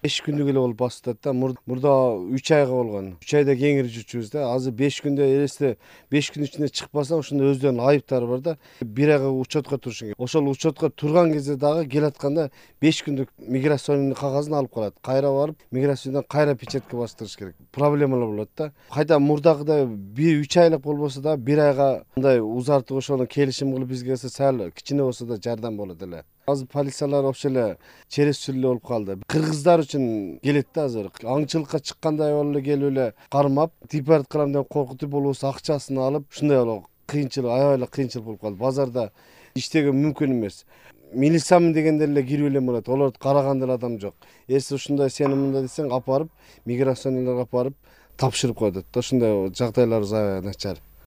5 күндүк эле болуп басып атат да. Мурда 3 айга болгон. 3 айда кеңири жүрчүбүз да. Азыр 5 күндө элесте 5 күн ичинде чыкпасаң ошондо өздөрүнүн айыптары бар да. 1 айга учетко турушуң керек. Ошол учетко турган кезде дагы келатканда 5 күндүк миграционный кагазын алып калат. Кайра барып, миграциядан кайра печатка бастырыш керек. Проблемалар болот да. Кайда мурдагыдай 3 айлык болбосо да 1 айга мындай узартып ошону келишим кылып бизге келсе сал кичине болсо да жардам болот эле. Азыр полициялар вообще эле через эле болуп калды. Кыргыздар үчүн келет да азыр. Аңчылыкка чыккандай болуп эле келип эле кармап, депорт кылам деп коркутуп болбосо акчасын алып, ушундай болуп кыйынчылык, аябай эле кыйынчылык болуп калды. Базарда иштеген мүмкүн эмес. Милициямын дегендер эле кирип эле болот. Олорду караган деле адам жок. Эси ушундай сени мындай десең, апарып, миграционныйларга апарып тапшырып коет да. Ушундай жагдайларыбыз аябай начар.